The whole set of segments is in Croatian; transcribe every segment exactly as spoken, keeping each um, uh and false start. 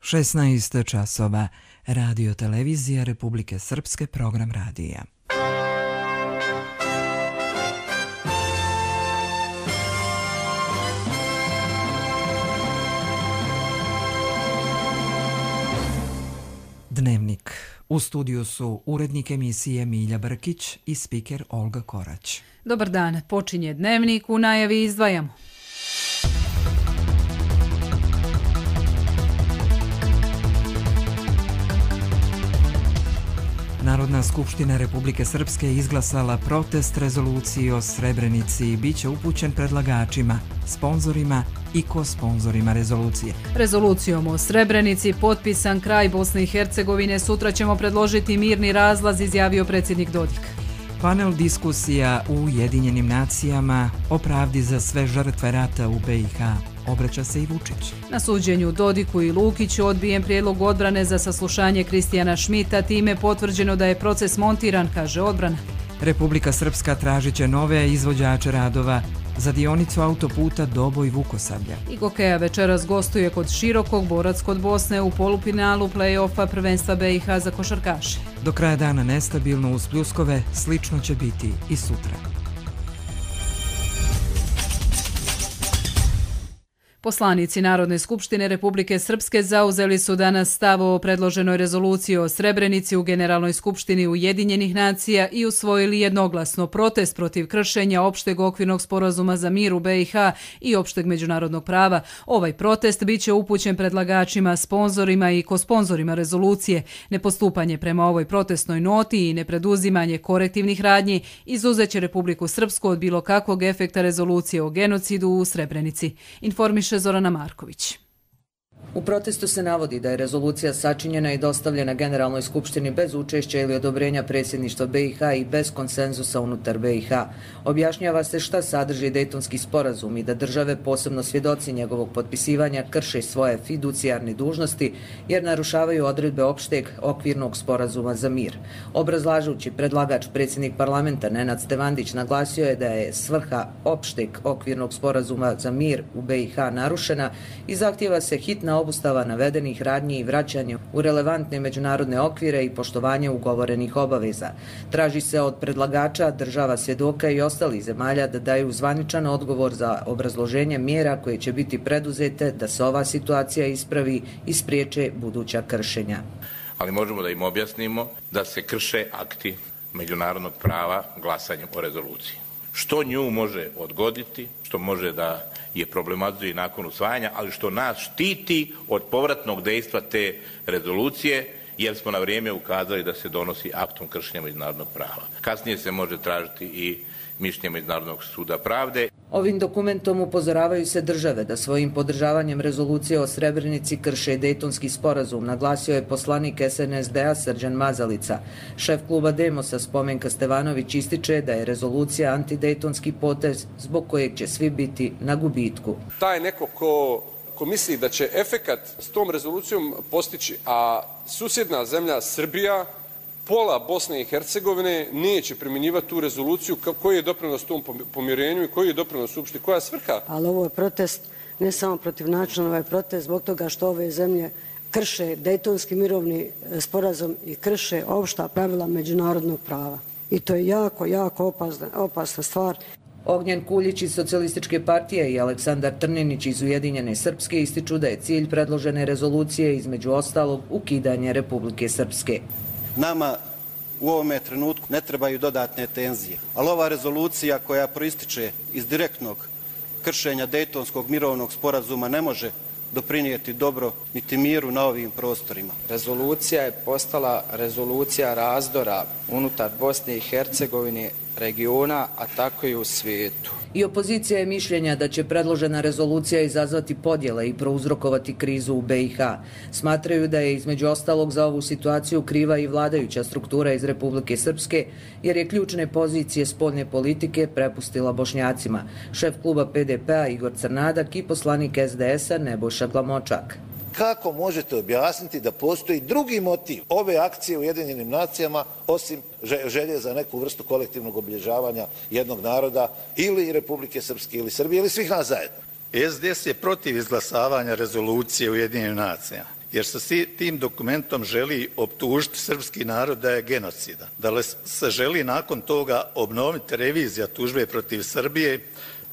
šesnaest časova. Radio televizija Republike Srpske, program radija. Dnevnik. U studiju su urednik emisije Milja Brkić i spiker Olga Korać. Dobar dan, počinje Dnevnik, u najavi izdvajamo. Narodna skupština Republike Srpske izglasala protest rezoluciji o Srebrenici i bit će upućen predlagačima, sponzorima i ko-sponzorima rezolucije. Rezolucijom o Srebrenici potpisan kraj Bosne i Hercegovine, sutra ćemo predložiti mirni razlaz, izjavio predsjednik Dodik. Panel diskusija u Ujedinjenim nacijama o pravdi za sve žrtve rata u be i ha. Obraća se i Vučić. Na suđenju Dodiku i Lukiću odbijen prijedlog odbrane za saslušanje Kristijana Šmita, time potvrđeno da je proces montiran, kaže odbrana. Republika Srpska tražit će nove izvođače radova za dionicu autoputa Doboj-Vukosablja. I Gokeja večeras gostuje kod Širokog, Borac kod Bosne u polufinalu play-offa prvenstva be i ha za košarkaše. Do kraja dana nestabilno uz pljuskove, slično će biti i sutra. Poslanici Narodne skupštine Republike Srpske zauzeli su danas stav o predloženoj rezoluciji o Srebrenici u Generalnoj skupštini Ujedinjenih nacija i usvojili jednoglasno protest protiv kršenja opšteg okvirnog sporazuma za mir u be i ha i opšteg međunarodnog prava. Ovaj protest bit će upućen predlagačima, sponzorima i kosponzorima rezolucije. Nepostupanje prema ovoj protestnoj noti i nepreduzimanje korektivnih radnji izuzet će Republiku Srpsku od bilo kakvog efekta rezolucije o genocidu u Srebrenici. Informiše Zorana Marković. U protestu se navodi da je rezolucija sačinjena i dostavljena Generalnoj skupštini bez učešća ili odobrenja predsjedništva be i ha i bez konsenzusa unutar be i ha. Objašnjava se šta sadrži Dejtonski sporazum i da države, posebno svjedoci njegovog potpisivanja, krše svoje fiducijarne dužnosti jer narušavaju odredbe opšteg okvirnog sporazuma za mir. Obrazlažući, predlagač predsjednik parlamenta Nenad Stevandić naglasio je da je svrha opšteg okvirnog sporazuma za mir u be i ha narušena i zahtijeva se hitna obustava navedenih radnji i vraćanje u relevantne međunarodne okvire i poštovanje ugovorenih obaveza. Traži se od predlagača, država svjedoka i ostalih zemalja da daju zvaničan odgovor za obrazloženje mjera koje će biti preduzete da se ova situacija ispravi i spriječe buduća kršenja. Ali možemo da im objasnimo da se krše akti međunarodnog prava glasanjem o rezoluciji. Što nju može odgoditi, što može da je problematizuje nakon usvajanja, ali što nas štiti od povratnog dejstva te rezolucije, jer smo na vrijeme ukazali da se donosi aktom kršenja međunarodnog prava. Kasnije se može tražiti i mišljenje Međunarodnog suda pravde. Ovim dokumentom upozoravaju se države da svojim podržavanjem rezolucije o Srebrenici krše Dejtonski sporazum, naglasio je poslanik es en es de a Srđan Mazalica. Šef kluba Demosa Spomenka Stevanović ističe da je rezolucija antidejtonski potez zbog kojeg će svi biti na gubitku. Taj neko ko, ko misli da će efekat s tom rezolucijom postići, a susjedna zemlja Srbija, pola Bosne i Hercegovine neće primjenjivati tu rezoluciju, koji je doprinos tom pomirenju i koji je doprinos uopšte, koja je svrha? Ali ovo je protest ne samo protiv načina, ovo je protest zbog toga što ove zemlje krše Dejtonski mirovni sporazum i krše opšta pravila međunarodnog prava. I to je jako, jako opasna, opasna stvar. Ognjen Kuljić iz Socijalističke partije i Aleksandar Trninić iz Ujedinjene Srpske ističu da je cilj predložene rezolucije između ostalog ukidanje Republike Srpske. Nama u ovome trenutku ne trebaju dodatne tenzije, ali ova rezolucija koja proističe iz direktnog kršenja Dejtonskog mirovnog sporazuma ne može doprinijeti dobro niti miru na ovim prostorima. Rezolucija je postala rezolucija razdora unutar Bosne i Hercegovine, regiona, a tako i u svijetu. I opozicija je mišljenja da će predložena rezolucija izazvati podjele i prouzrokovati krizu u be i ha. Smatraju da je između ostalog za ovu situaciju kriva i vladajuća struktura iz Republike Srpske, jer je ključne pozicije spoljne politike prepustila Bošnjacima. Šef kluba pe de pe a Igor Crnadak i poslanik es de es a Nebojša Glamočak. Kako možete objasniti da postoji drugi motiv ove akcije u Ujedinjenim nacijama osim želje za neku vrstu kolektivnog obilježavanja jednog naroda ili Republike Srpske ili Srbije ili svih nas zajedno? es de es je protiv izglasavanja rezolucije Ujedinjenih nacija jer se tim dokumentom želi optužiti srpski narod da je genocidan. Da li se želi nakon toga obnoviti revizija tužbe protiv Srbije,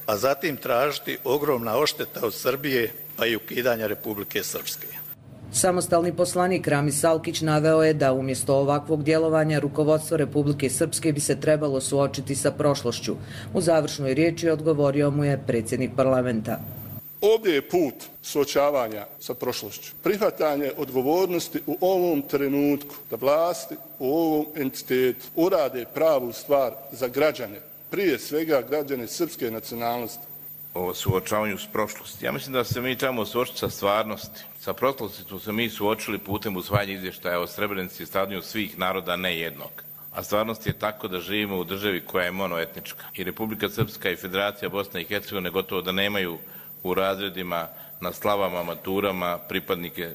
a zatim tražiti ogromna odšteta od Srbije pa i ukidanja Republike Srpske. Samostalni poslanik Rami Salkić naveo je da umjesto ovakvog djelovanja rukovodstvo Republike Srpske bi se trebalo suočiti sa prošlošću. U završnoj riječi odgovorio mu je predsjednik parlamenta. Ovdje je put suočavanja sa prošlošću. Prihvatanje odgovornosti u ovom trenutku da vlasti u ovom entitetu urade pravu stvar za građane, prije svega građane srpske nacionalnosti. O suočavanju s prošlosti. Ja mislim da se mi trebamo suočiti sa stvarnosti. Sa prošlosti smo se mi suočili putem usvajanja izvještaja o Srebrenici i stradanju svih naroda, ne jednog. A stvarnost je tako da živimo u državi koja je monoetnička. I Republika Srpska i Federacija Bosne i Hercegovine gotovo da nemaju u razredima, na slavama, maturama pripadnike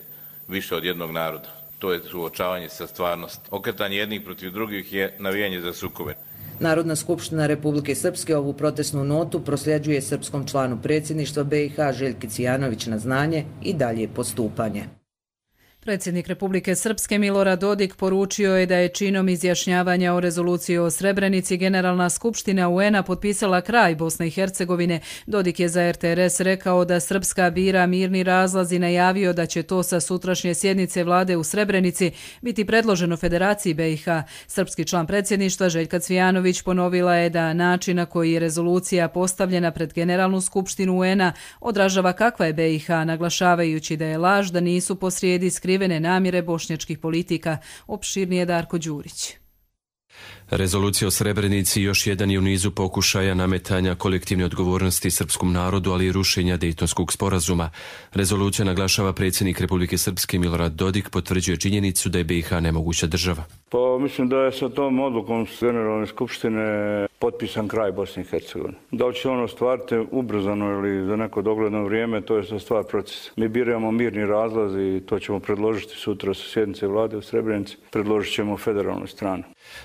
više od jednog naroda. To je suočavanje sa stvarnosti. Okretanje jednih protiv drugih je navijanje za sukobe. Narodna skupština Republike Srpske ovu protestnu notu prosljeđuje srpskom članu predsjedništva B i H Željki Cvijanović na znanje i dalje postupanje. Predsjednik Republike Srpske Milorad Dodik poručio je da je činom izjašnjavanja o rezoluciji o Srebrenici Generalna skupština U N A potpisala kraj Bosne i Hercegovine. Dodik je za R T R S rekao da Srpska bira mirni razlaz i najavio da će to sa sutrašnje sjednice vlade u Srebrenici biti predloženo Federaciji B i H. Srpski član predsjedništva Željka Cvijanović ponovila je da način na koji je rezolucija postavljena pred Generalnu skupštinu U N A odražava kakva je B i H, naglašavajući da je laž da nisu posrijedi skrivene namjere bošnjačkih politika. Opširnije Darko Đurić. Rezolucija o Srebrenici još jedan je u nizu pokušaja nametanja kolektivne odgovornosti srpskom narodu, ali i rušenja Dejtonskog sporazuma. Rezolucija, naglašava predsjednik Republike Srpske Milorad Dodik, potvrđuje činjenicu da je B i H nemoguća država. Pa mislim da je sa tom odlukom Generalne skupštine potpisan kraj Bosne i Hercegovine. Da li će ono ostvariti ubrzano ili za neko dogledno vrijeme, to je sa stvar procesa. Mi biramo mirni razlaz i to ćemo predložiti sutra sa sjednice vlade u Srebrenici. Predložit ćemo federalnoj strani.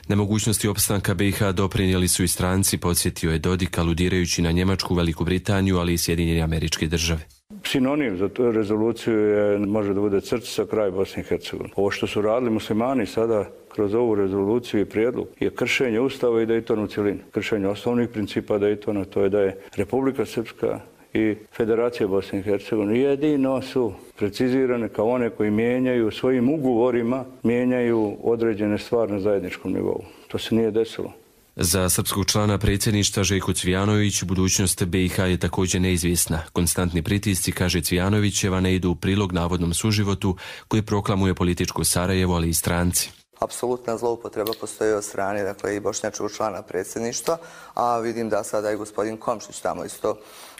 Nemogućnosti opstanka B i H doprinijeli su i stranci, podsjetio je Dodik, aludirajući na Njemačku, Veliku Britaniju, ali i Sjedinjene Američke Države. Sinonim za tu rezoluciju je, može da bude crtica kraj Bosne i Hercegovine. Ovo što su radili muslimani sada kroz ovu rezoluciju i prijedlog je kršenje Ustava i Dejtona u cjelini. Kršenje osnovnih principa Dejtona, to je da je Republika Srpska i Federacija Bosne i Hercegovine jedino su precizirane kao one koji mijenjaju svojim ugovorima, mijenjaju određene stvari na zajedničkom nivou. To se nije desilo. Za srpskog člana predsjedništva Željko Cvijanović budućnost B i H je također neizvjesna. Konstantni pritisci, kaže Cvijanovićeva, ne idu u prilog navodnom suživotu koji proklamuje političko Sarajevo, ali i stranci. Apsolutna zloupotreba postoji od strane, dakle, i bošnjačkog člana predsjedništva, a vidim da sada i gospodin Komšić tamo isto,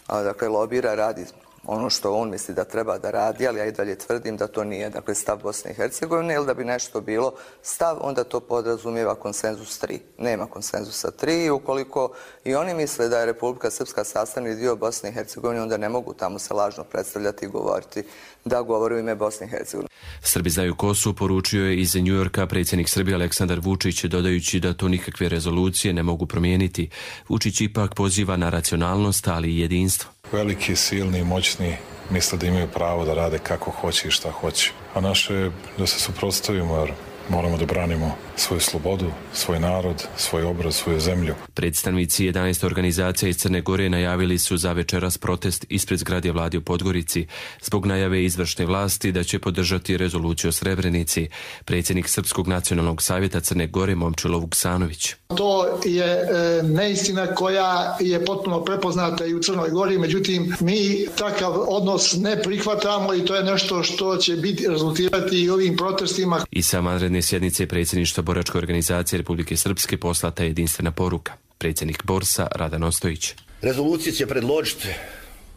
dakle, lobira, radi ono što on misli da treba da radi, ali ja i dalje tvrdim da to nije, dakle, stav Bosne i Hercegovine, ili da bi nešto bilo stav, onda to podrazumijeva konsenzus tri. Nema konsenzusa tri i ukoliko i oni misle da je Republika Srpska sastavni dio Bosne i Hercegovine, onda ne mogu tamo se lažno predstavljati i govoriti da govori u ime Bosne i Hercegovine. Srbi znaju kosu, poručio je iz New Yorka predsjednik Srbije Aleksandar Vučić, dodajući da to nikakve rezolucije ne mogu promijeniti. Vučić ipak poziva na racionalnost, ali i jedinstvo. Veliki, silni i moćni misle da imaju pravo da rade kako hoće i šta hoće. A naše je da se suprotstavimo, jer moramo da branimo svoju slobodu, svoj narod, svoj obraz, svoju zemlju. Predstavnici jedanaeste organizacija iz Crne Gore najavili su za večeras protest ispred zgrade vlade u Podgorici zbog najave izvršne vlasti da će podržati rezoluciju o Srebrenici. Predsjednik Srpskog nacionalnog savjeta Crne Gore Momčilo Vuksanović. To je e, neistina koja je potpuno prepoznata i u Crnoj Gori, međutim mi takav odnos ne prihvatamo i to je nešto što će biti rezultirati i ovim protestima. I sa vanredne sjednice predsjedništva Boračke organizacije Republike Srpske poslata je jedinstvena poruka. Predsjednik Borsa Radan Ostojić. Rezoluciju će predložiti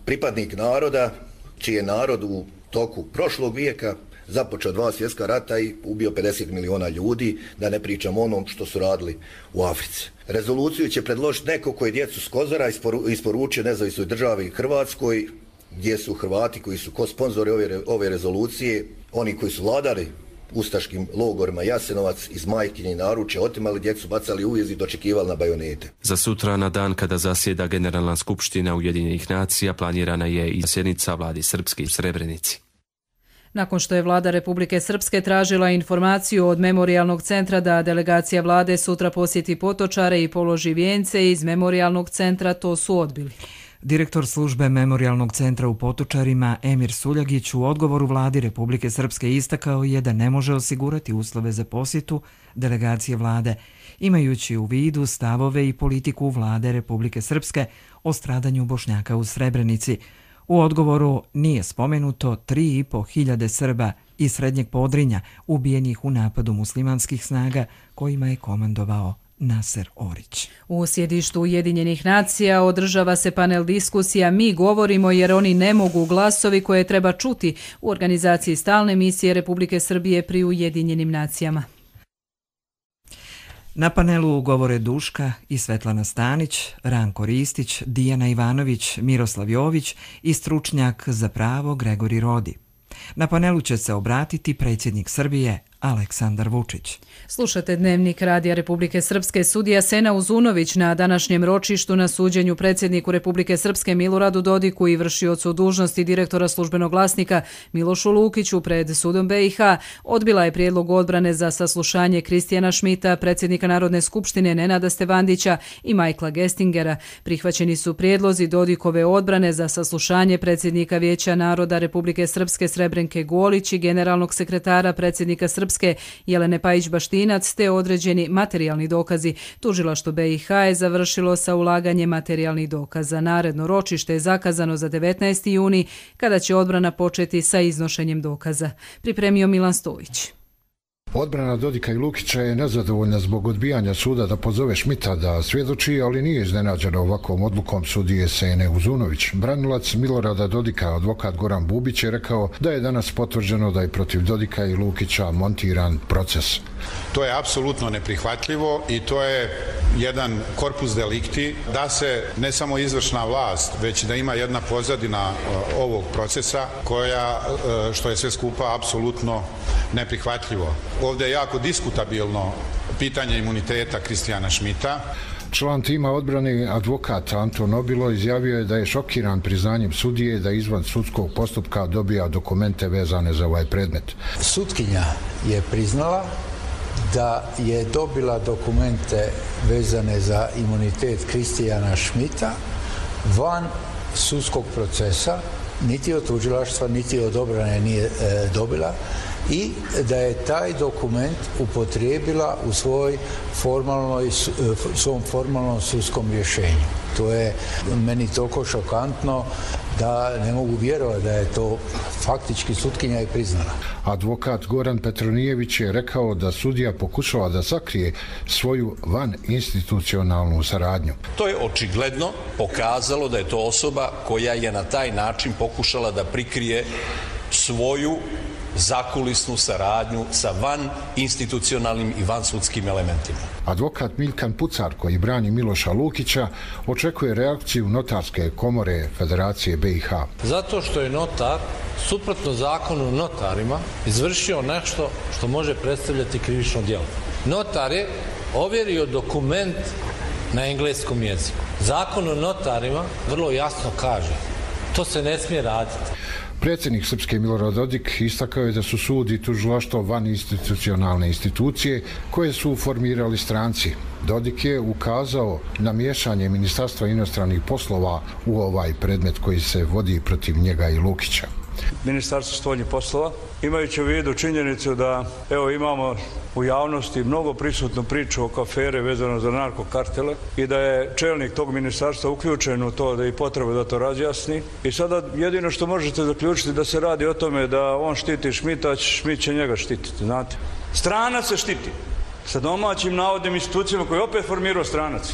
pripadnik naroda, čiji je narod u toku prošlog vijeka započeo dva svjetska rata i ubio pedeset miliona ljudi, da ne pričam o onom što su radili u Africi. Rezoluciju će predložiti neko koji je djecu s Kozara isporu, isporučio nezavisnoj državi Hrvatskoj, gdje su Hrvati koji su ko sponzori ove, ove rezolucije, oni koji su vladali ustaškim logorima Jasenovac iz majkinje naručja, otimali djecu, bacali u ujez i dočekivali na bajonete. Za sutra, na dan kada zasjeda Generalna skupština Ujedinjenih nacija, planirana je i sjednica vlade Srpske u Srebrenici. Nakon što je vlada Republike Srpske tražila informaciju od Memorijalnog centra da delegacija vlade sutra posjeti Potočare i položi vijence iz Memorijalnog centra, to su odbili. Direktor službe Memorijalnog centra u Potočarima Emir Suljagić u odgovoru vladi Republike Srpske istakao je da ne može osigurati uslove za posjetu delegacije vlade, imajući u vidu stavove i politiku vlade Republike Srpske o stradanju Bošnjaka u Srebrenici. U odgovoru nije spomenuto tri i po hiljade Srba iz Srednjeg Podrinja ubijenih u napadu muslimanskih snaga kojima je komandovao Naser Orić. U sjedištu Ujedinjenih nacija održava se panel diskusija Mi govorimo jer oni ne mogu, glasovi koje treba čuti u organizaciji stalne misije Republike Srbije pri Ujedinjenim nacijama. Na panelu govore Duška i Svetlana Stanić, Ranko Ristić, Dijana Ivanović, Miroslav Jović i stručnjak za pravo Gregori Rodi. Na panelu će se obratiti predsjednik Srbije Aleksandar Vučić. Slušate Dnevnik Radija Republike Srpske. Sudija Sena Uzunović na današnjem ročištu na suđenju predsjedniku Republike Srpske Miloradu Dodiku i vršiocu dužnosti direktora Službenog glasnika Milošu Lukiću pred sudom B i H odbila je prijedlog odbrane za saslušanje Kristijana Šmita, predsjednika Narodne skupštine Nenada Stevandića i Majkla Gestingera. Prihvaćeni su prijedlozi Dodikove odbrane za saslušanje predsjednika Vijeća naroda Republike Srpske Srebrenke Golić i generalnog sekretara predsjednika Srpske Jelene Pajić-Baštinac te određeni materijalni dokazi. Tužilaštvo B i H je završilo sa ulaganjem materijalnih dokaza. Naredno ročište je zakazano za devetnaesti juni kada će odbrana početi sa iznošenjem dokaza. Pripremio Milan Stojić. Odbrana Dodika i Lukića je nezadovoljna zbog odbijanja suda da pozove Šmita da svjedoči, ali nije iznenađena ovakvom odlukom sudije Sene Uzunović. Branilac Milorada Dodika, advokat Goran Bubić, je rekao da je danas potvrđeno da je protiv Dodika i Lukića montiran proces. To je apsolutno neprihvatljivo i to je jedan korpus delikti da se ne samo izvršna vlast, već da ima jedna pozadina ovog procesa koja, što je sve skupa, apsolutno neprihvatljivo. Ovdje je jako diskutabilno pitanje imuniteta Kristijana Šmita. Član tima odbrane advokat Anton Obilo izjavio je da je šokiran priznanjem sudije da izvan sudskog postupka dobija dokumente vezane za ovaj predmet. Sutkinja je priznala da je dobila dokumente vezane za imunitet Kristijana Šmita van sudskog procesa, niti od tužilaštva, niti od odbrane nije e, dobila, i da je taj dokument upotrijebila u svoj formalnoj, svom formalnom sudskom rješenju. To je meni toliko šokantno da ne mogu vjerovati da je to faktički sutkinja i priznala. Advokat Goran Petronijević je rekao da sudija pokušava da sakrije svoju vaninstitucionalnu saradnju. To je očigledno pokazalo da je to osoba koja je na taj način pokušala da prikrije svoju zakulisnu saradnju sa van institucionalnim i van sudskim elementima. Advokat Milkan Pucar, koji brani Miloša Lukića, očekuje reakciju notarske komore Federacije B i H. Zato što je notar, suprotno zakonu notarima, izvršio nešto što može predstavljati krivično djelo. Notar je ovjerio dokument na engleskom jeziku. Zakon o notarima vrlo jasno kaže, to se ne smije raditi. Predsjednik Srpske Milorad Dodik istakao je da su sud i tužilaštvo van institucionalne institucije koje su formirali stranci. Dodik je ukazao na miješanje Ministarstva inostranih poslova u ovaj predmet koji se vodi protiv njega i Lukića. Ministarstvo spoljnih poslova, imajući u vidu činjenicu da evo imamo u javnosti mnogo prisutnu priču oko afere vezano za narkokartele i da je čelnik tog ministarstva uključen u to da i potreba da to razjasni. I sada jedino što možete zaključiti da se radi o tome da on štiti Šmita, a Šmit će njega štititi, znate. Stranac se štiti sa domaćim navodnim institucijama koje je opet formirao stranac.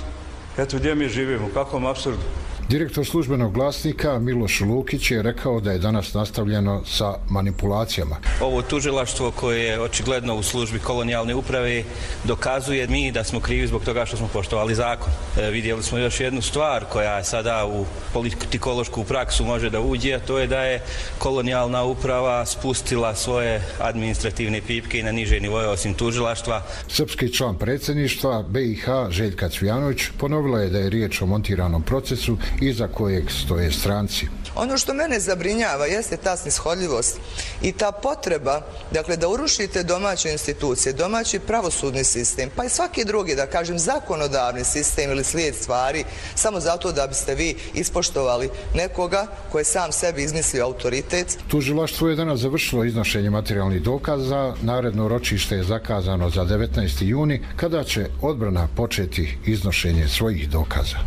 Eto gdje mi živimo, u kakvom apsurdu. Direktor službenog glasnika Miloš Lukić je rekao da je danas nastavljeno sa manipulacijama. Ovo tužilaštvo koje je očigledno u službi kolonijalne uprave dokazuje mi da smo krivi zbog toga što smo poštovali zakon. E, vidjeli smo još jednu stvar koja je sada u politikološku praksu može da uđe, a to je da je kolonijalna uprava spustila svoje administrativne pipke i na niže nivoje osim tužilaštva. Srpski član predsjedništva B i H Željka Cvijanović ponovila je da je riječ o montiranom procesu iza kojeg stoje stranci. Ono što mene zabrinjava jeste ta snishodljivost i ta potreba, dakle, da urušite domaće institucije, domaći pravosudni sistem, pa i svaki drugi, da kažem, zakonodavni sistem ili slijed stvari, samo zato da biste vi ispoštovali nekoga koji je sam sebi izmislio autoritet. Tužilaštvo je danas završilo iznošenje materijalnih dokaza. Naredno ročište je zakazano za devetnaesti juni, kada će odbrana početi iznošenje svojih dokaza.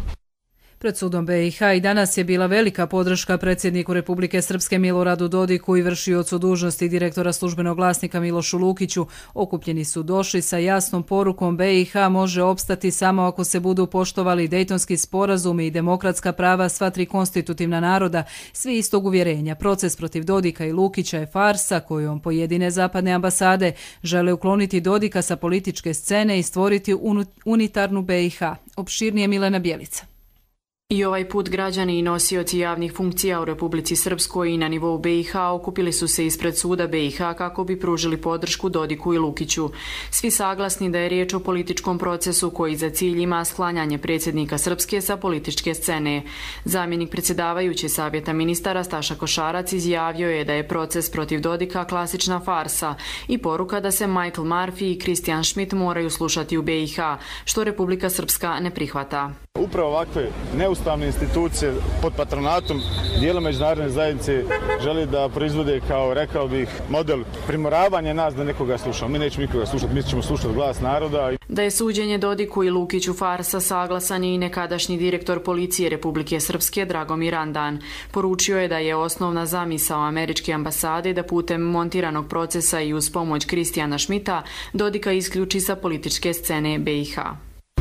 Pred sudom B i H i danas je bila velika podrška predsjedniku Republike Srpske Miloradu Dodiku i vršiocu dužnosti direktora službenog glasnika Milošu Lukiću. Okupljeni su došli sa jasnom porukom B i H može opstati samo ako se budu poštovali Dejtonski sporazumi i demokratska prava sva tri konstitutivna naroda, svi istog uvjerenja. Proces protiv Dodika i Lukića je farsa kojom pojedine zapadne ambasade žele ukloniti Dodika sa političke scene i stvoriti unitarnu B i H. Opširnije Milena Bjelica. I ovaj put građani i nosioci javnih funkcija u Republici Srpskoj i na nivou B i H okupili su se ispred suda B i H kako bi pružili podršku Dodiku i Lukiću. Svi saglasni da je riječ o političkom procesu koji za cilj ima sklanjanje predsjednika Srpske sa političke scene. Zamjenik predsjedavajući Savjeta ministara Staša Košarac izjavio je da je proces protiv Dodika klasična farsa i poruka da se Michael Murphy i Christian Schmidt moraju slušati u B i H, što Republika Srpska ne prihvata. Upravo ovakve neustavne institucije pod patronatom dijela međunarodne zajednice želi da proizvode, kao rekao bih, model primoravanja nas da nekoga slušamo. Mi nećemo nikoga slušati, mi ćemo slušati glas naroda. Da je suđenje Dodiku i Lukiću farsa saglasan je i nekadašnji direktor policije Republike Srpske Dragomir Andan. Poručio je da je osnovna zamisao američke ambasade da putem montiranog procesa i uz pomoć Christiana Schmidta Dodika isključi sa političke scene B i H.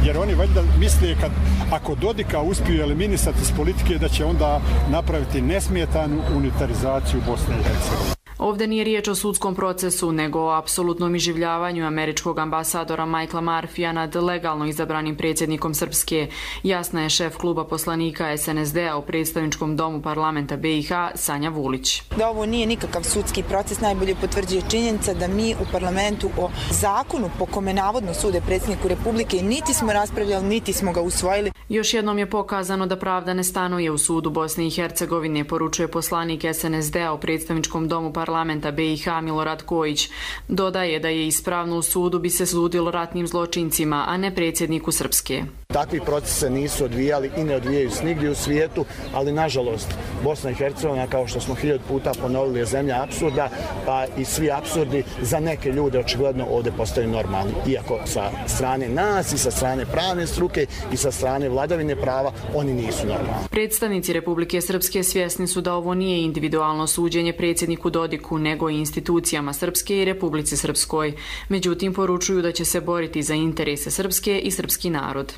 Jer oni valjda misle kad ako Dodika uspiju eliminisati iz politike da će onda napraviti nesmetanu unitarizaciju Bosne i Hercegovine. Ovdje nije riječ o sudskom procesu, nego o apsolutnom iživljavanju američkog ambasadora Michaela Murphya nad legalno izabranim predsjednikom Srpske. Jasna je šef kluba poslanika S N S D-a u predstavničkom domu parlamenta B i H Sanja Vulić. Da ovo nije nikakav sudski proces najbolje potvrđuje činjenica da mi u parlamentu o zakonu po kome navodno sude predsjedniku Republike niti smo raspravljali, niti smo ga usvojili. Još jednom je pokazano da pravda ne stanuje u sudu Bosne i Hercegovine, poručuje poslanik S N S D-a u predstavničkom domu parlamenta B i H Milorad Kojić. Dodaje da je ispravno u sudu bi se sudilo ratnim zločincima, a ne predsjedniku Srpske. Takvi procese nisu odvijali i ne odvijaju snigdje u svijetu, ali nažalost Bosna i Hercegovina, kao što smo hiljadu puta ponovili, je zemlja apsurda, pa i svi apsurdi za neke ljude očigledno ovdje postaju normalni. Iako sa strane nas i sa strane pravne struke i sa strane vladavine prava oni nisu normalni. Predstavnici Republike Srpske svjesni su da ovo nije individualno suđenje predsjedniku Dodiku, nego i institucijama Srpske i Republici Srpskoj. Međutim, poručuju da će se boriti za interese Srpske i srpski narod.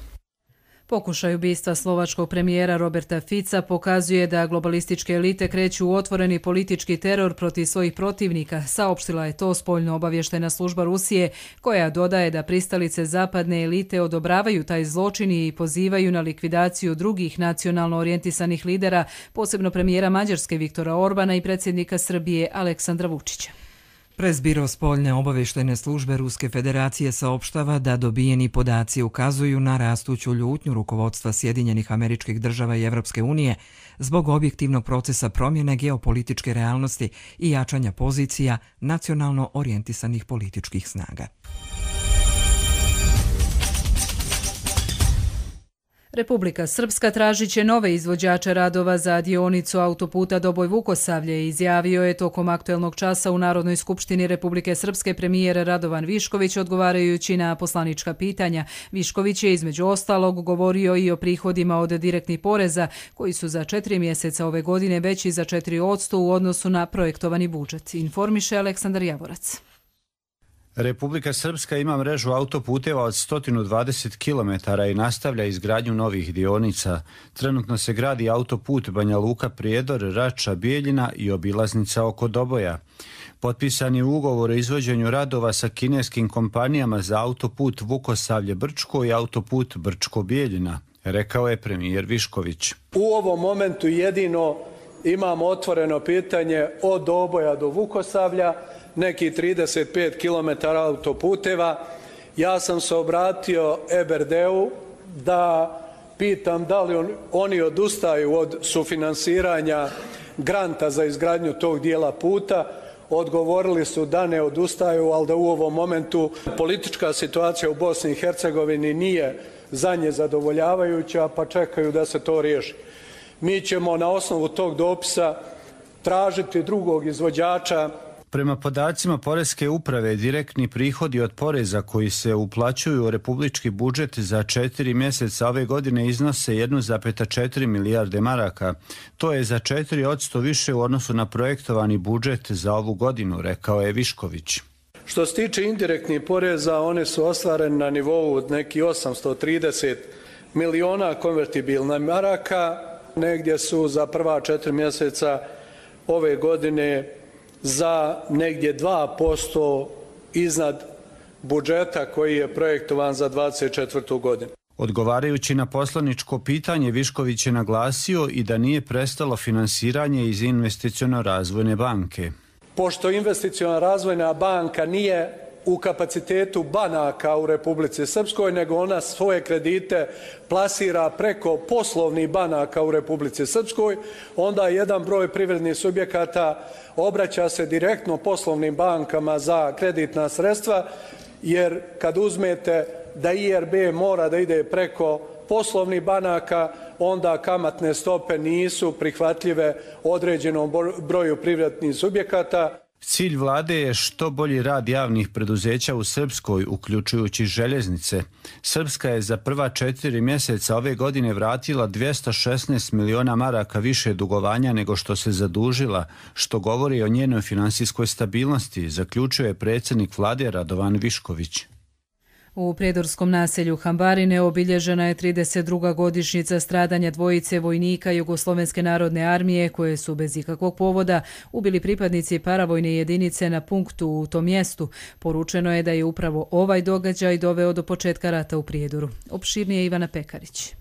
Pokušaj ubistva slovačkog premijera Roberta Fica pokazuje da globalističke elite kreću u otvoreni politički teror protiv svojih protivnika, saopštila je to spoljno obavještena služba Rusije, koja dodaje da pristalice zapadne elite odobravaju taj zločin i pozivaju na likvidaciju drugih nacionalno orijentisanih lidera, posebno premijera Mađarske Viktora Orbana i predsjednika Srbije Aleksandra Vučića. Presbiro spoljne obavještajne službe Ruske federacije saopštava da dobijeni podaci ukazuju na rastuću ljutnju rukovodstva Sjedinjenih Američkih Država i Evropske unije zbog objektivnog procesa promjene geopolitičke realnosti i jačanja pozicija nacionalno orijentisanih političkih snaga. Republika Srpska tražit će nove izvođače radova za dionicu autoputa Doboj-Vukosavlje, izjavio je tokom aktuelnog časa u Narodnoj skupštini Republike Srpske premijer Radovan Višković odgovarajući na poslanička pitanja. Višković je između ostalog govorio i o prihodima od direktnih poreza koji su za četiri mjeseca ove godine veći za četiri posto u odnosu na projektovani budžet, informiše Aleksandar Javorac. Republika Srpska ima mrežu autoputeva od sto dvadeset kilometara i nastavlja izgradnju novih dionica. Trenutno se gradi autoput Banja Luka-Prijedor, Rača-Bijeljina i obilaznica oko Doboja. Potpisan je ugovor o izvođenju radova sa kineskim kompanijama za autoput Vukosavlje-Brčko i autoput Brčko-Bijeljina, rekao je premijer Višković. U ovom momentu jedino imamo otvoreno pitanje od Doboja do Vukosavlja, neki trideset pet kilometara autoputeva. Ja sam se obratio E B R D-u da pitam da li on, oni odustaju od sufinansiranja granta za izgradnju tog dijela puta. Odgovorili su da ne odustaju, ali da u ovom momentu politička situacija u Bosni i Hercegovini nije za nje zadovoljavajuća, pa čekaju da se to riješi. Mi ćemo na osnovu tog dopisa tražiti drugog izvođača. Prema podacima Poreske uprave, direktni prihodi od poreza koji se uplaćuju u republički budžet za četiri mjeseca ove godine iznose jedan zarez četiri milijarde maraka. To je za četiri posto više u odnosu na projektovani budžet za ovu godinu, rekao je Višković. Što se tiče indirektnih poreza, one su ostvarene na nivou od neki osamsto trideset miliona konvertibilna maraka. Negdje su za prva četiri mjeseca ove godine za negdje dva posto iznad budžeta koji je projektovan za dvadeset četvrtu godinu. Odgovarajući na poslaničko pitanje, Višković je naglasio i da nije prestalo finansiranje iz Investiciono-razvojne banke. Pošto Investiciona razvojna banka nije u kapacitetu banaka u Republici Srpskoj, nego ona svoje kredite plasira preko poslovnih banaka u Republici Srpskoj, onda jedan broj privrednih subjekata obraća se direktno poslovnim bankama za kreditna sredstva, jer kad uzmete da I R B mora da ide preko poslovnih banaka, onda kamatne stope nisu prihvatljive određenom broju privrednih subjekata. Cilj vlade je što bolji rad javnih preduzeća u Srpskoj, uključujući željeznice. Srpska je za prva četiri mjeseca ove godine vratila dvjesto šesnaest miliona maraka više dugovanja nego što se zadužila, što govori o njenoj finansijskoj stabilnosti, zaključuje predsjednik vlade Radovan Višković. U prijedorskom naselju Hambarine obilježena je trideset druga godišnjica stradanja dvojice vojnika Jugoslovenske narodne armije koje su bez ikakvog povoda ubili pripadnici paravojne jedinice na punktu u tom mjestu. Poručeno je da je upravo ovaj događaj doveo do početka rata u Prijedoru. Opširnije Ivana Pekarić.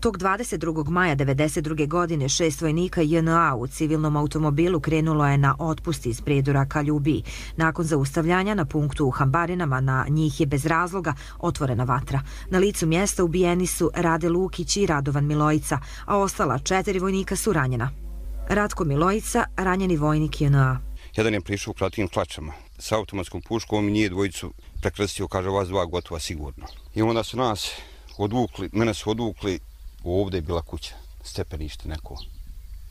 Tog dvadeset drugog maja devedeset druge. godine šest vojnika J N A u civilnom automobilu krenulo je na otpust iz Prijedora ka Ljubiji. Nakon zaustavljanja na punktu u Hambarinama na njih je bez razloga otvorena vatra. Na licu mjesta ubijeni su Rade Lukić i Radovan Milojica, a ostala četiri vojnika su ranjena. Ratko Milojica, ranjeni vojnik J N A. Jedan je prišao u kratkim hlačama sa automatskom puškom i nije dvojicu prekrstio, kaže vas dva gotova sigurno. I onda su nas odvukli, mene su odvukli. Ovdje je bila kuća, stepenište neko.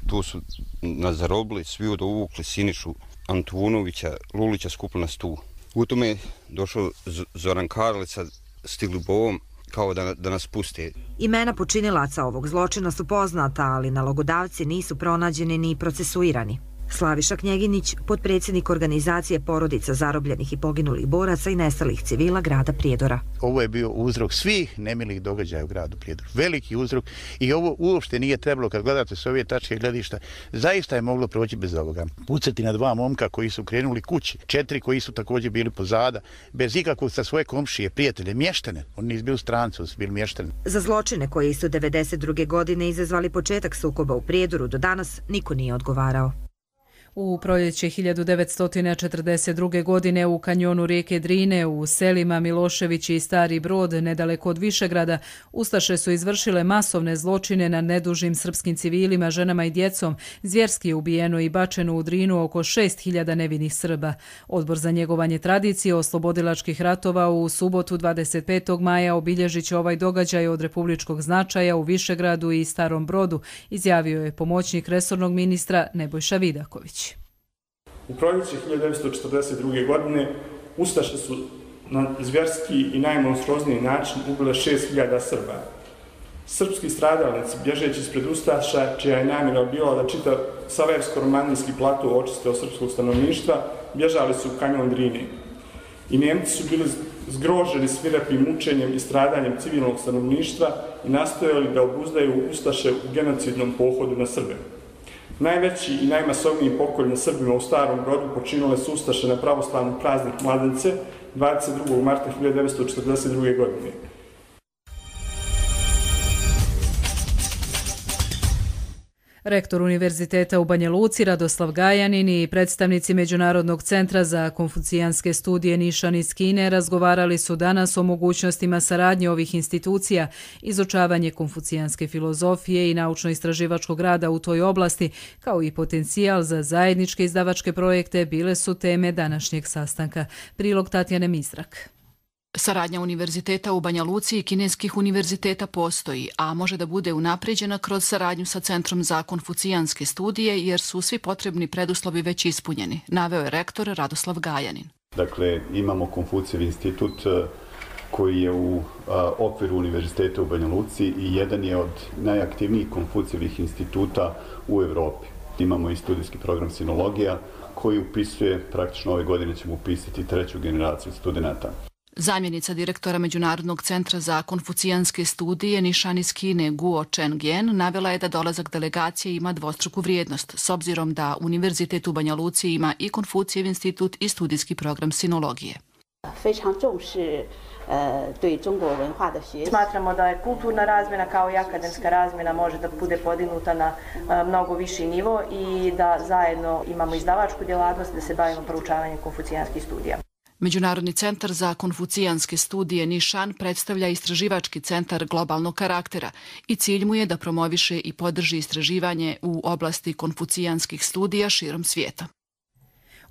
Tu su nas zarobili, svi odvukli Sinišu Antunovića, Lulića skupili nas tu. U tome je došao Zoran Karlica s Tiglubovom kao da, da nas puste. Imena počinilaca ovog zločina su poznata, ali nalogodavci nisu pronađeni ni procesuirani. Slaviša Knjeginić, potpredsjednik organizacije porodica zarobljenih i poginulih boraca i nestalih civila grada Prijedora. Ovo je bio uzrok svih nemilih događaja u gradu Prijedoru. Veliki uzrok i ovo uopšte nije trebalo, kad gledate s ove tačke gledišta, zaista je moglo proći bez ovoga. Pucati na dva momka koji su krenuli kući, četiri koji su također bili pozada, bez ikakvog sa svoje komšije, prijatelje, mještane. Oni nisu bili stranci, oni su bili mještani. Za zločine koji su devedeset druge. godine izazvali početak sukoba u Prijedoru, do danas niko nije odgovarao. U proljeće hiljadu devetsto četrdeset druge. godine u kanjonu rijeke Drine u selima Milošević i Stari Brod, nedaleko od Višegrada, ustaše su izvršile masovne zločine na nedužnim srpskim civilima, ženama i djecom. Zvjerski je ubijeno i bačeno u Drinu oko šest hiljada nevinih Srba. Odbor za njegovanje tradicije oslobodilačkih ratova u subotu dvadeset petog maja obilježit će ovaj događaj od republičkog značaja u Višegradu i Starom Brodu, izjavio je pomoćnik resornog ministra Nebojša Vidaković. U proljeće hiljadu devetsto četrdeset druge. godine ustaše su na zvjerski i najmonstruozniji način ubile šest hiljada Srba. Srpski stradalnici, bježeći ispred ustaša, čija je namjera bila da čitav saversko-romanijski plato očiste od srpskog stanovništva, bježali su u kanjon Drine. I Njemci su bili zgroženi svirepim mučenjem i stradanjem civilnog stanovništva i nastojali da obuzdaju ustaše u genocidnom pohodu na Srbe. Najveći i najmasovniji pokolj na Srbima u Starom Brodu počinile su ustaše na pravoslavni praznik Mladence dvadeset drugog marta hiljadu devetsto četrdeset druge. godine. Rektor Univerziteta u Banja Luci Radoslav Gajanin i predstavnici Međunarodnog centra za konfucijanske studije Nišan iz Kine razgovarali su danas o mogućnostima saradnje ovih institucija, izučavanje konfucijanske filozofije i naučno-istraživačkog rada u toj oblasti, kao i potencijal za zajedničke izdavačke projekte bile su teme današnjeg sastanka. Prilog Tatjane Mizrak. Saradnja univerziteta u Banja Luci i kineskih univerziteta postoji, a može da bude unapređena kroz saradnju sa Centrom za konfucijanske studije, jer su svi potrebni preduslovi već ispunjeni, naveo je rektor Radoslav Gajanin. Dakle, imamo Konfucijev institut koji je u a, okviru univerziteta u Banja Luci i jedan je od najaktivnijih Konfucijevih instituta u Evropi. Imamo i studijski program sinologija koji upisuje, praktično ove godine ćemo upisati treću generaciju studenta. Zamjenica direktora Međunarodnog centra za konfucijanske studije Nišan iz Kine Guo Chengyan navela je da dolazak delegacije ima dvostruku vrijednost, s obzirom da Univerzitet u Banja Luci ima i Konfucijev institut i studijski program sinologije. Smatramo da je kulturna razmjena kao i akademska razmjena može da bude podignuta na mnogo viši nivo i da zajedno imamo izdavačku djelatnost da se bavimo proučavanjem konfucijanskih studija. Međunarodni centar za konfucijanske studije Nišan predstavlja istraživački centar globalnog karaktera i cilj mu je da promoviše i podrži istraživanje u oblasti konfucijanskih studija širom svijeta.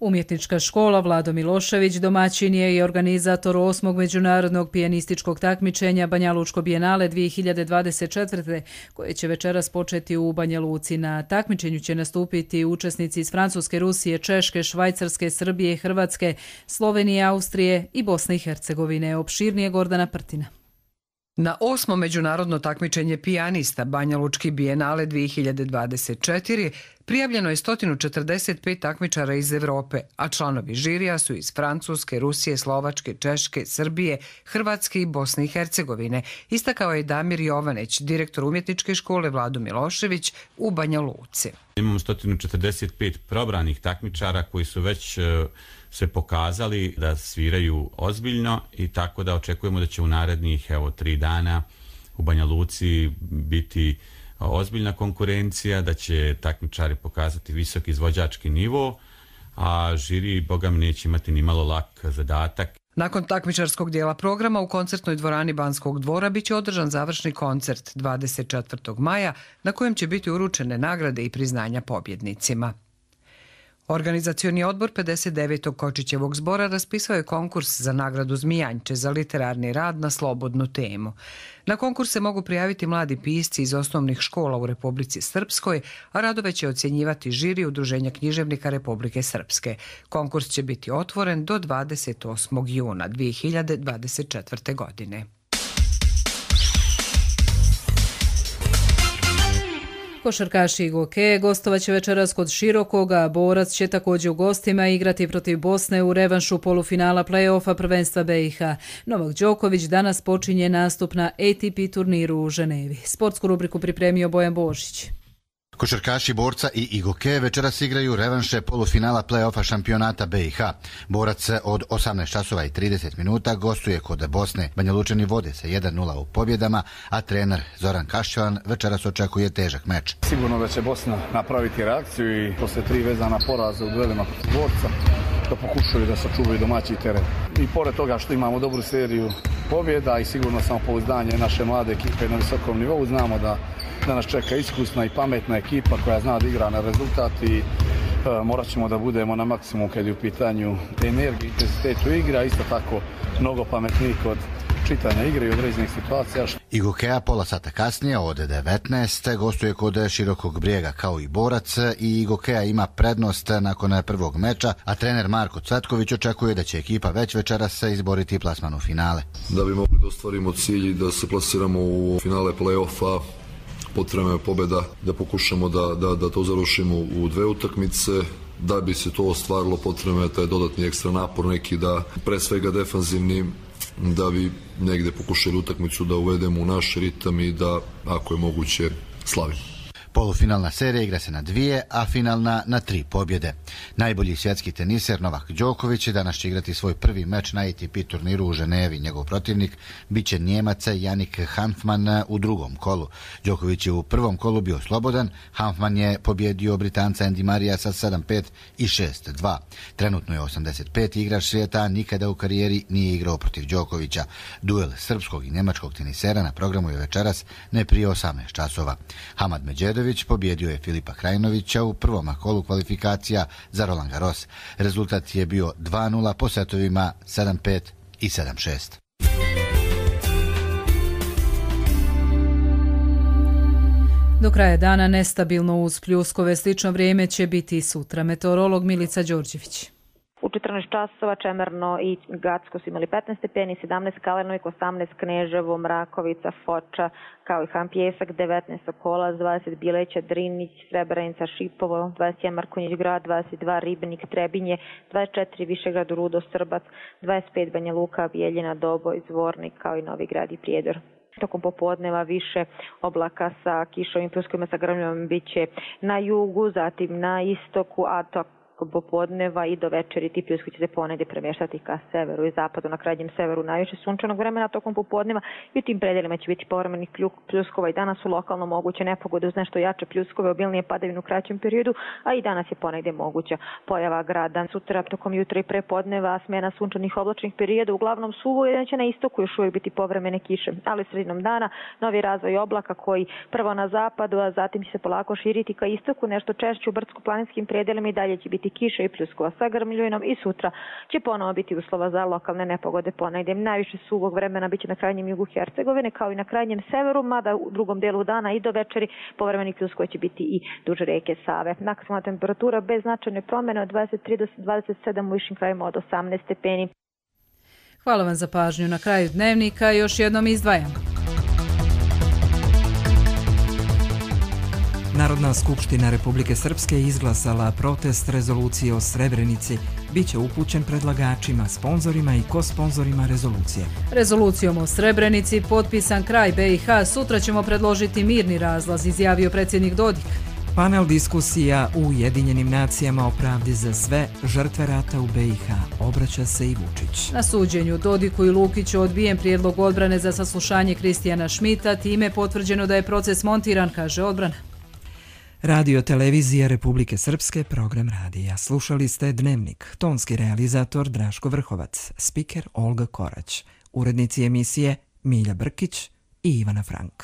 Umjetnička škola Vlado Milošević domaćin je i organizator osmog međunarodnog pijanističkog takmičenja Banja Lučko bijenale dvije hiljade dvadeset četvrte. koje će večeras početi u Banja Luci. Na takmičenju će nastupiti učesnici iz Francuske, Rusije, Češke, Švajcarske, Srbije, Hrvatske, Slovenije, Austrije i Bosne i Hercegovine. Opširnije Gordana Prtina. Na osmo međunarodno takmičenje pijanista Banja Lučki bijenale dvije hiljade dvadeset četiri prijavljeno je sto četrdeset pet takmičara iz Evrope, a članovi žirija su iz Francuske, Rusije, Slovačke, Češke, Srbije, Hrvatske i Bosne i Hercegovine, istakao je Damir Jovanić, direktor umjetničke škole Vlado Milošević u Banja Luci. Imamo sto četrdeset pet probranih takmičara koji su već se pokazali da sviraju ozbiljno i tako da očekujemo da će u narednih evo tri dana u Banja Luci biti ozbiljna konkurencija, da će takmičari pokazati visok izvođački nivo, a žiri, boga mi, neće imati ni malo lak zadatak. Nakon takmičarskog dijela programa u koncertnoj dvorani Banskog dvora biće održan završni koncert dvadeset četvrtog maja na kojem će biti uručene nagrade i priznanja pobjednicima. Organizacioni odbor pedeset devetog Kočićevog zbora raspisao je konkurs za nagradu Zmijanče za literarni rad na slobodnu temu. Na konkurs se mogu prijaviti mladi pisci iz osnovnih škola u Republici Srpskoj, a radove će ocjenjivati žiri Udruženja književnika Republike Srpske. Konkurs će biti otvoren do dvadeset osmog juna dvije hiljade dvadeset četvrte. godine. Košarkaši i Goke gostovaće večeras kod Širokoga, Borac će također u gostima igrati protiv Bosne u revanšu polufinala play-offa prvenstva B i H. Novak Đoković danas počinje nastup na A T P turniru u Ženevi. Sportsku rubriku pripremio Bojan Božić. Košarkaši Borca i Igoke večeras igraju revanše polufinala play-offa šampionata B i H. Borac od osamnaest časova i trideset minuta gostuje kod Bosne. Banjalučani vode se jedan nula u pobjedama, a trener Zoran Kašćevan večeras očekuje težak meč. Sigurno da će Bosna napraviti reakciju i posle tri vezana poraza u duelima protiv Borca da pokušaju da sačuvaju domaći teren. I pored toga što imamo dobru seriju pobjeda i sigurno samopouzdanje naše mlade ekipe na visokom nivou, znamo da da nas čeka iskusna i pametna ekipa koja zna da igra na rezultat i e, morat ćemo da budemo na maksimum kad je u pitanju energije, intenzitetu igra, isto tako mnogo pametniji kod čitanja igre i određenih situacija. Igokea pola sata kasnije od devetnaest gostuje kod Širokog Brijega kao i Borac i Igokea ima prednost nakon prvog meča, a trener Marko Cvetković očekuje da će ekipa već večeras izboriti plasman u finale. Da bi mogli da ostvarimo cilj da se plasiramo u finale play-offa, potrebna je pobjeda, da pokušamo da, da, da to završimo u dve utakmice. Da bi se to ostvarilo, potrebno je taj dodatni ekstra napor neki, da pre svega defanzivni, da bi negde pokušali utakmicu da uvedemo u naš ritam i da, ako je moguće, slavimo. Polufinalna serija igra se na dvije, a finalna na tri pobjede. Najbolji svjetski teniser Novak Đoković danas će igrati svoj prvi meč na A T P turniru u Ženevi. Njegov protivnik biće Njemac Jannik Hanfmann u drugom kolu. Đoković je u prvom kolu bio slobodan, Hanfmann je pobjedio Britanca Andy Marija sa sedam pet i šest dva. Trenutno je osamdeset peti igrač svijeta, a nikada u karijeri nije igrao protiv Đokovića. Duel srpskog i njemačkog tenisera na programu je večeras ne prije osamnaest časova. Hamad Medžedović pobjedio je Filipa Krajinovića u prvom kolu kvalifikacija za Roland Garros. Rezultat je bio dva nula po setovima sedam pet i sedam šest. Do kraja dana nestabilno uz pljuskove, slično vrijeme će biti i sutra. Meteorolog Milica Đorđević. U četrnaest časova Čemerno i Gacko su imali petnaest stepeni, sedamnaest Kalenovik, osamnaest Kneževo, Mrakovica, Foča, kao i Han Pjesak, devetnaest Sokolac, dvadeset Bileća, Drinić, Srebrenica, Šipovo, dvadeset jedan Markonjić Grad, dvadeset dva Ribnik, Trebinje, dvadeset četiri Višegrad, Rudo, Srbac, dvadeset pet Banja Luka, Bijeljina, Doboj, Zvornik, kao i Novi Grad i Prijedor. Tokom popodneva više oblaka sa kišovim pljuskovima sa grmljom bit će na jugu, zatim na istoku, a to popodneva i do večeri ti pljuskovi će se ponegdje premještati ka severu i zapadu, na krajnjem severu najviše sunčanog vremena tokom popodneva i u tim predelima će biti povremenih pljuskova. I danas su lokalno moguće nepogode uz nešto jače pljuskove, obilnije padavine u kraćem periodu, a i danas je ponegdje moguća pojava grada. Sutra tokom jutra i prepodneva smjena sunčanih oblačnih perioda, uglavnom suvo, jer će na istoku još uvijek biti povremene kiše, ali sredinom dana novi razvoj oblaka koji prvo na zapadu, a zatim će se polako širiti ka istoku, nešto češće u brdsko-planinskim predelima i dalje će biti kiše i pljuskova sa grmljuvinom i sutra će ponovo biti uslova za lokalne nepogode ponegdje. Najviše suvog vremena biće na krajnjem jugu Hercegovine kao i na krajnjem severu, mada u drugom delu dana i do večeri povremeni pljuskova će biti i duž rijeke Save. Maksimalna temperatura bez značajne promjene od dvadeset tri do dvadeset sedam, u višim krajima od osamnaest stepeni. Hvala vam za pažnju. Na kraju dnevnika još jednom izdvajamo. Narodna skupština Republike Srpske izglasala protest rezolucije o Srebrenici. Biće upućen predlagačima, sponzorima i kosponzorima rezolucije. Rezolucijom o Srebrenici potpisan kraj B i H. Sutra ćemo predložiti mirni razlaz, izjavio predsjednik Dodik. Panel diskusija u Ujedinjenim nacijama o pravdi za sve žrtve rata u B i H. Obraća se i Vučić. Na suđenju Dodiku i Lukiću odbijen prijedlog odbrane za saslušanje Kristijana Šmita. Time je potvrđeno da je proces montiran, kaže odbrana. Radio Televizija Republike Srpske, program radija. Slušali ste Dnevnik, tonski realizator Draško Vrhovac, spiker Olga Korać, urednici emisije Milja Brkić i Ivana Frank.